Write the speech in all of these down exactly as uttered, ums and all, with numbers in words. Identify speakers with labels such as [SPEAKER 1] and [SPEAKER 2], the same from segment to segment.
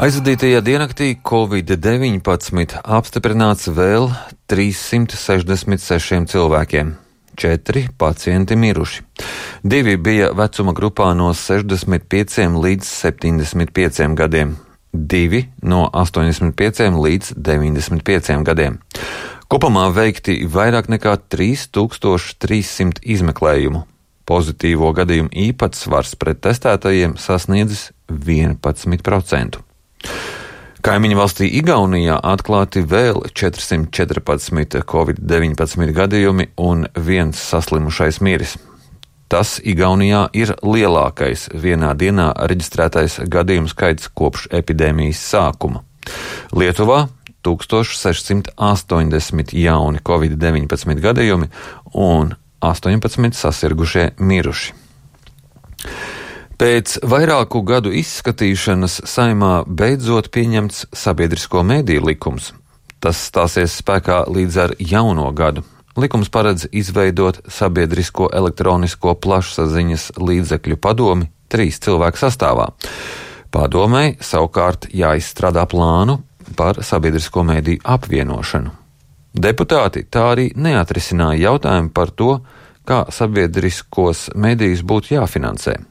[SPEAKER 1] Aizvadītajā diennaktī covid deviņpadsmit apstiprināts vēl trīssimt sešdesmit sešiem cilvēkiem. Četri pacienti miruši. Divi bija vecuma grupā no sešdesmit pieciem līdz septiņdesmit pieciem gadiem. Divi no astoņdesmit pieciem līdz deviņdesmit pieciem gadiem. Kopumā veikti vairāk nekā trīs tūkstoši trīs simt izmeklējumu. Pozitīvo gadījumu īpatsvars pret testētajiem sasniedzis vienpadsmit procentus. Kaimiņu valstī Igaunijā atklāti vēl četrsimt četrpadsmit covid deviņpadsmit gadījumi un viens saslimušais miris. Tas Igaunijā ir lielākais vienā dienā reģistrētais gadījumu skaits kopš epidēmijas sākuma. Lietuvā tūkstoš sešsimt astoņdesmit jauni covid deviņpadsmit gadījumi un astoņpadsmit sasirgušie miruši. Pēc vairāku gadu izskatīšanas Saeimā beidzot pieņemts sabiedrisko mediju likums. Tas stāsies spēkā līdz ar jauno gadu. Likums paredz izveidot sabiedrisko elektronisko plašsaziņas līdzekļu padomi trīs cilvēku sastāvā. Padomei savukārt jāizstrādā plānu par sabiedrisko mediju apvienošanu. Deputāti tā arī neatrisināja jautājumu par to, kā sabiedriskos medijus būtu jāfinansē.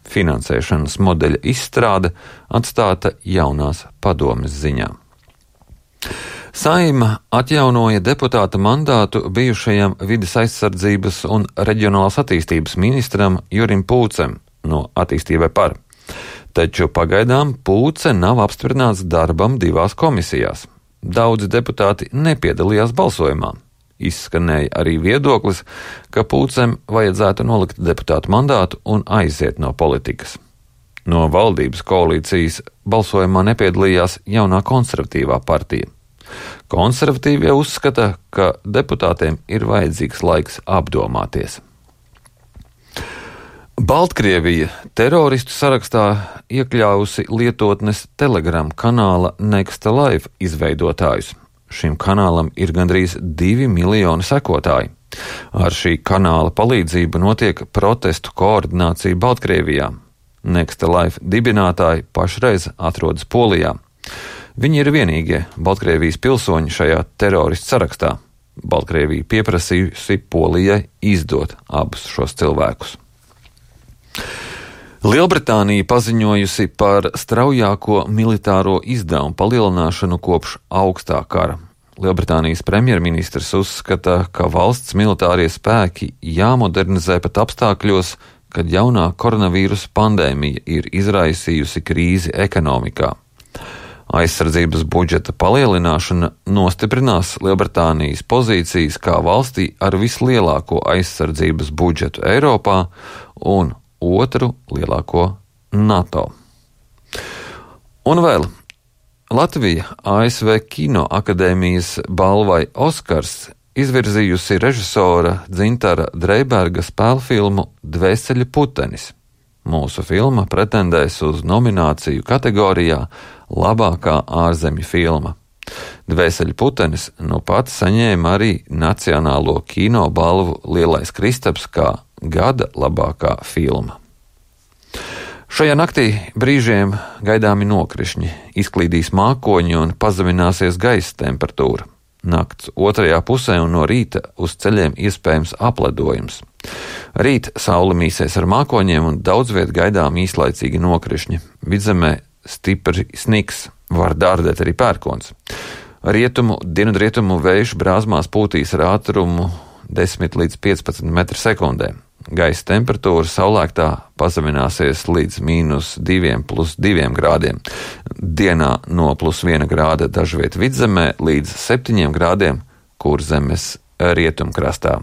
[SPEAKER 1] Finansēšanas modeļa izstrāde atstāta jaunās padomes ziņā. Saeima atjaunoja deputāta mandātu bijušajam vides aizsardzības un reģionālās attīstības ministram Jurim Pūcem no Attīstībai par. Taču pagaidām Pūce nav apstiprināts darbam divās komisijās. Daudzi deputāti nepiedalījās balsojumā. Izskanēja arī viedoklis, ka Pūcem vajadzētu nolikt deputātu mandātu un aiziet no politikas. No valdības koalīcijas balsojumā nepiedalījās jaunā konservatīvā partija. Konservatīvie uzskata, ka deputātiem ir vajadzīgs laiks apdomāties. Baltkrievija teroristu sarakstā iekļāvusi lietotnes Telegram kanāla Next Live izveidotājus. Šim kanālam ir gandrīz divi miljoni sekotāji. Ar šī kanāla palīdzību notiek protestu koordinācija Baltkrievijā. Next Live dibinātāji pašreiz atrodas Polijā. Viņi ir vienīgie Baltkrievijas pilsoņi šajā teroristu sarakstā. Baltkrievija pieprasījusi Polijai izdot abus šos cilvēkus. Lielbritānija paziņojusi par straujāko militāro izdevumu palielināšanu kopš augstā kara. Lielbritānijas premjerministrs uzskata, ka valsts militārie spēki jāmodernizē pat apstākļos, kad jaunā koronavīrusa pandēmija ir izraisījusi krīzi ekonomikā. Aizsardzības budžeta palielināšana nostiprinās Lielbritānijas pozīcijas kā valstī ar vislielāko aizsardzības budžetu Eiropā un otru lielāko NATO. Un vēl Latvija A S V Kino akadēmijas balvai Oskars izvirzījusi režisora Dzintara Dreiberga spēlfilmu Dvēseļu putenis. Mūsu filma pretendēs uz nomināciju kategorijā labākā ārzemju filma. Dvēseļu putenis nu pat saņēma arī Nacionālo kino balvu Lielais Kristaps kā gada labākā filma. Šajā naktī brīžiem gaidāmi nokrišņi, izklīdīs mākoņi un pazemināsies gaisa temperatūra. Nakts otrajā pusē un no rīta uz ceļiem iespējams apledojums. Rīt saule mīsies ar mākoņiem un daudz viet gaidām īslaicīgi nokrišņi. Vidzemē stipri sniks, var dārdēt arī pērkons. Rietumu, dienvidrietumu vējš brāzmās pūtīs ar ātrumu desmit līdz piecpadsmit metru sekundē. Gaisa temperatūra saulēktā pazemināsies līdz mīnus diviem plus diviem grādiem. Dienā no plus viena grāda dažviet vidzemē līdz septiņiem grādiem Kurzemes rietumkrastā.